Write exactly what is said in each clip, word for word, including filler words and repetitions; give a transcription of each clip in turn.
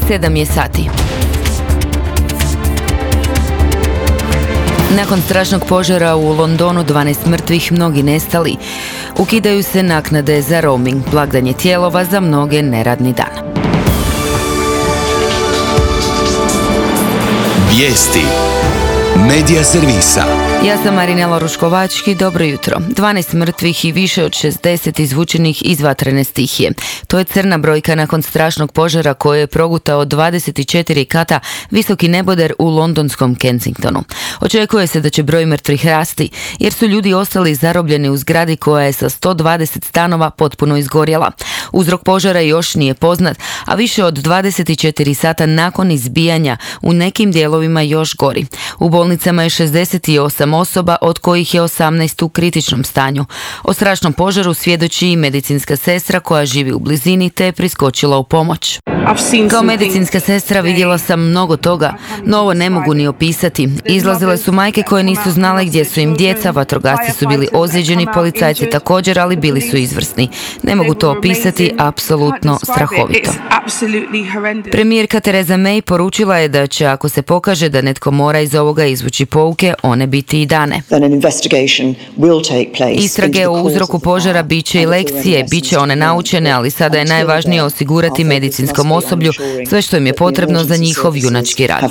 sedam je sati. Nakon strašnog požara u Londonu, dvanaest mrtvih, mnogi nestali. Ukidaju se naknade za roaming, blagdan je Tijelova, za mnoge neradni dan. Vijesti Medija servisa. Ja sam Marinela Ruškovački, dobro jutro. dvanaest mrtvih i više od šezdeset izvučenih iz vatrene stihije. To je crna brojka nakon strašnog požara koji je progutao dvadeset četiri kata visoki neboder u londonskom Kensingtonu. Očekuje se da će broj mrtvih rasti, jer su ljudi ostali zarobljeni u zgradi koja je sa sto dvadeset stanova potpuno izgorjela. Uzrok požara još nije poznat, a više od dvadeset četiri sata nakon izbijanja u nekim dijelovima još gori. U bolnicama je šezdeset osam osoba, od kojih je osamnaest u kritičnom stanju. O strašnom požaru svjedoči i medicinska sestra koja živi u blizini te je priskočila u pomoć. Kao medicinska sestra vidjela sam mnogo toga, no ovo ne mogu ni opisati. Izlazile su majke koje nisu znale gdje su im djeca, vatrogasci su bili ozlijeđeni, policajci također, ali bili su izvrsni. Ne mogu to opisati, apsolutno strahovito. Premijerka Theresa May poručila je da će, ako se pokaže da netko mora iz ovoga izvući pouke, one biti i dane. Istrage o uzroku požara bit će i lekcije, bit će one naučene, ali sada je najvažnije osigurati medicinskom osoblju sve što im je potrebno za njihov junački rad.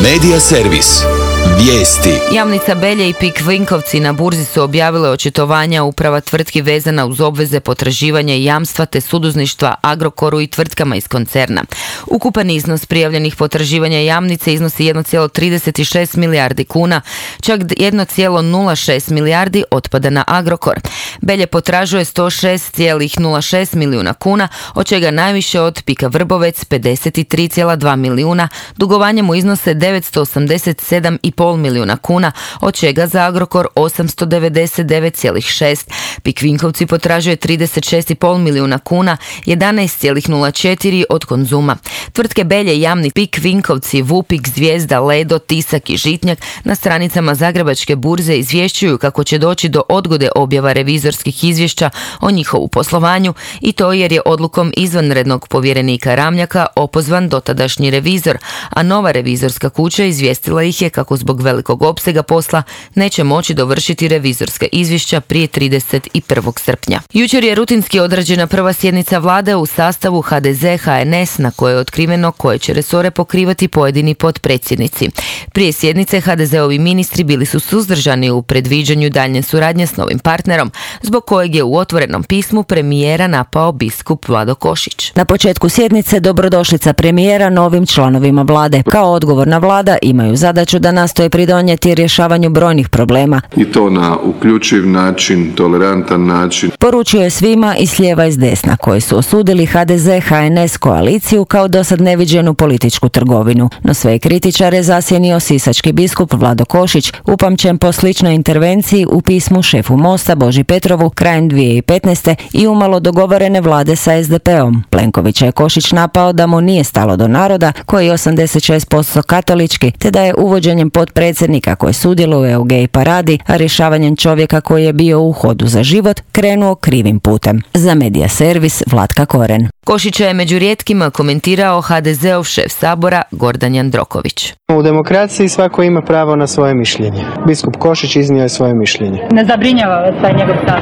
Medija servis. Vijesti. Jamnica Belje i Pik Vinkovci na burzi su objavile očitovanja uprava tvrtki vezana uz obveze potraživanja i jamstva te suduzništva Agrokoru i tvrtkama iz koncerna. Ukupan iznos prijavljenih potraživanja Jamnice iznosi jedan zarez trideset šest milijardi kuna, čak jedan zarez nula šest milijardi otpada na Agrokor. Belje potražuje sto šest zarez nula šest milijuna kuna, od čega najviše od Pika Vrbovec pedeset tri zarez dva milijuna, dugovanje mu iznose devetsto osamdeset sedam zarez pet milijuna kuna, od čega za Agrokor osamsto devedeset devet zarez šest. Pik Vinkovci potražuje trideset šest zarez pet milijuna kuna, jedanaest zarez nula četiri od Konzuma. Tvrtke Belje, Jamni, Pik Vinkovci, Vupik, Zvijezda, Ledo, Tisak i Žitnjak na stranicama Zagrebačke burze izvješćuju kako će doći do odgode objava revizorskih izvješća o njihovu poslovanju, i to jer je odlukom izvanrednog povjerenika Ramljaka opozvan dotadašnji revizor, a nova revizorska kuća izvijestila ih je kako zbog velikog opsega posla neće moći dovršiti revizorska izvješća prije trideset prvog srpnja. Jučer je rutinski odrađena prva sjednica vlade u sastavu ha de ze ha en es na kojoj je otkriveno koje će resore pokrivati pojedini potpredsjednici. Prije sjednice ha de zeovi ministri bili su suzdržani u predviđanju daljnje suradnje s novim partnerom, zbog kojeg je u otvorenom pismu premijera napao biskup Vlado Košić. Na početku sjednice dobrodošlica premijera novim članovima vlade. Kao odgovorna vlada imaju zadaću da nastoje pridonijeti rješavanju brojnih problema. I to na uključiv način, tolerantan način. Poručio je svima i s lijeva i s desna koji su osudili ha de ze ha en es koaliciju kao dosad neviđenu političku trgovinu. No sve kritičare zasjenio sisački biskup Vlado Košić, upamćen po sličnoj intervenciji u pismu šefu Mosta Boži Petrovu krajem dvije tisuće petnaeste i umalo dogovorene vlade sa es de peom. Plenkovića je Košić napao da mu nije stalo do naroda, koji je osamdeset šest posto katolički, te da je uvođenjem potpredsjednika koji sudjeluje u gej paradi, a rješavanjem čovjeka koji je bio u hodu za život, krenuo krivim putem. Za Medija servis Vlatka Koren. Košića je među rijetkima komentirao ha de zeov šef sabora Gordan Jandroković. U demokraciji svako ima pravo na svoje mišljenje. Biskup Košić iznio je svoje mišljenje. Ne zabrinjava vas taj njegov stav?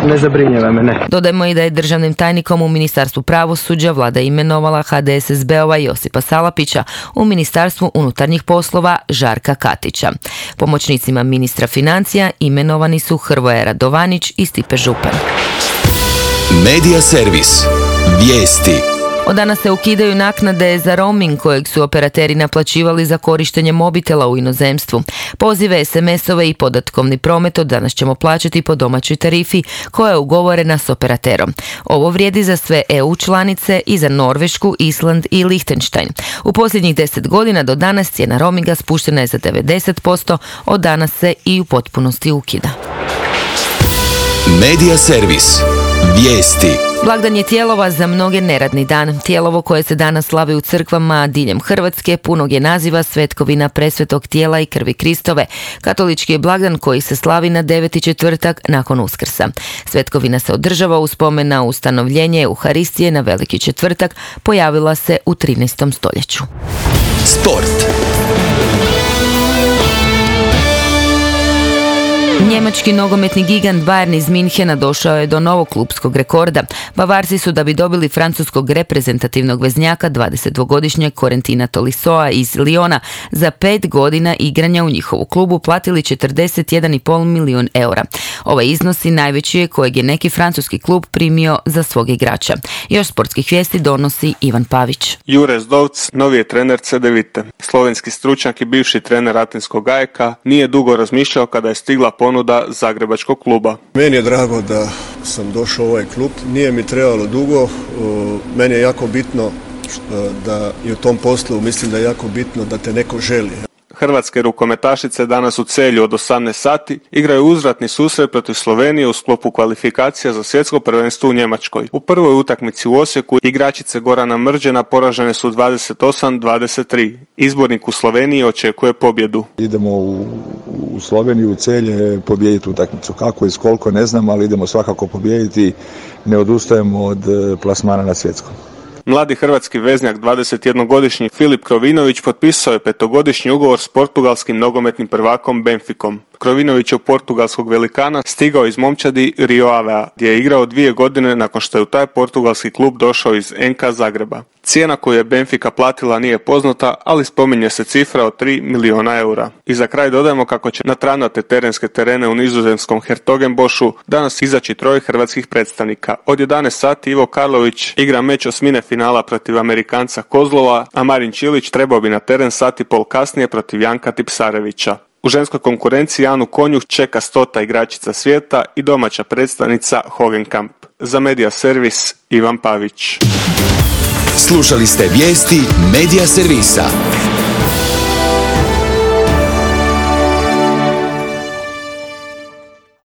Ne zabrinjava me, ne. Dodajmo i da je državnim tajnikom u Ministarstvu pravosuđa vlada imenovala ha de es es be-ova Josipa Salapića, u Ministarstvu unutarnjih poslova Žarka Katića. Pomoćnicima ministra financija imenovani su Hrvoje Radovanić i Stipe Župan. Medija servis. Vijesti. Od danas se ukidaju naknade za roaming kojeg su operateri naplaćivali za korištenje mobitela u inozemstvu. Pozive, es em esove i podatkovni promet od danas ćemo plaćati po domaćoj tarifi koja je ugovorena s operaterom. Ovo vrijedi za sve e u članice i za Norvešku, Island i Lichtenstein. U posljednjih deset godina do danas cijena roaminga spuštena je za devedeset posto, od danas se i u potpunosti ukida. Medija servis. Vijesti. Blagdan je Tijelova za mnoge neradni dan. Tijelovo koje se danas slavi u crkvama diljem Hrvatske punog je naziva Svetkovina presvetog tijela i krvi Kristove. Katolički je blagdan koji se slavi na deveti četvrtak nakon Uskrsa. Svetkovina se održava u spomen na ustanovljenje Euharistije na Veliki četvrtak, pojavila se u trinaestom stoljeću. Sport. Njemački nogometni gigant Bayern iz Minhena došao je do novog klupskog rekorda. Bavarci su, da bi dobili francuskog reprezentativnog veznjaka, dvadesetdvogodišnjeg Corentina Tolissoa iz Lyona, za pet godina igranja u njihovu klubu platili četrdeset jedan i pol milijun eura. Ovaj iznos i najveći je kojeg je neki francuski klub primio za svog igrača. Još sportskih vijesti donosi Ivan Pavić. Jure Zdovc, novi je trener Cedevite. Slovenski stručnjak i bivši trener Atenskog A E K nije dugo razmišljao kada je stigla ponuda zagrebačkog kluba. Meni je drago da sam došao u ovaj klub. Nije mi trebalo dugo. Meni je jako bitno da i u tom poslu mislim da je jako bitno da te neko želi. Hrvatske rukometašice danas u Celju od osamnaest sati igraju uzvratni susret protiv Slovenije u sklopu kvalifikacija za svjetsko prvenstvo u Njemačkoj. U prvoj utakmici u Osijeku igračice Gorana Mrđena poražene su dvadeset osam dvadeset tri. Izbornik u Sloveniji očekuje pobjedu. Idemo u, u Sloveniju, u Celje, pobijediti utakmicu. Kako i koliko ne znam, ali idemo svakako pobijediti. Ne odustajemo od plasmana na svjetskom. Mladi hrvatski veznjak, dvadesetjednogodišnji Filip Krovinović, potpisao je petogodišnji ugovor s portugalskim nogometnim prvakom Benficom. Krovinović je u portugalskog velikana stigao iz momčadi Rio Avea, gdje je igrao dvije godine nakon što je u taj portugalski klub došao iz N K Zagreba. Cijena koju je Benfica platila nije poznata, ali spominje se cifra od tri milijuna eura. I za kraj dodajemo kako će na travnate terenske terene u nizozemskom Hertogenbošu danas izaći troje hrvatskih predstavnika. Od jedanaest sati Ivo Karlović igra meč osmine finala protiv Amerikanca Kozlova, a Marin Čilić trebao bi na teren sat i pol kasnije protiv Janka Tipsarevića. U ženskoj konkurenciji Anu Konjuh čeka stota igračica svijeta i domaća predstavnica Hogenkamp. Za Media Servis Ivan Pavić. Slušali ste vijesti Media Servisa.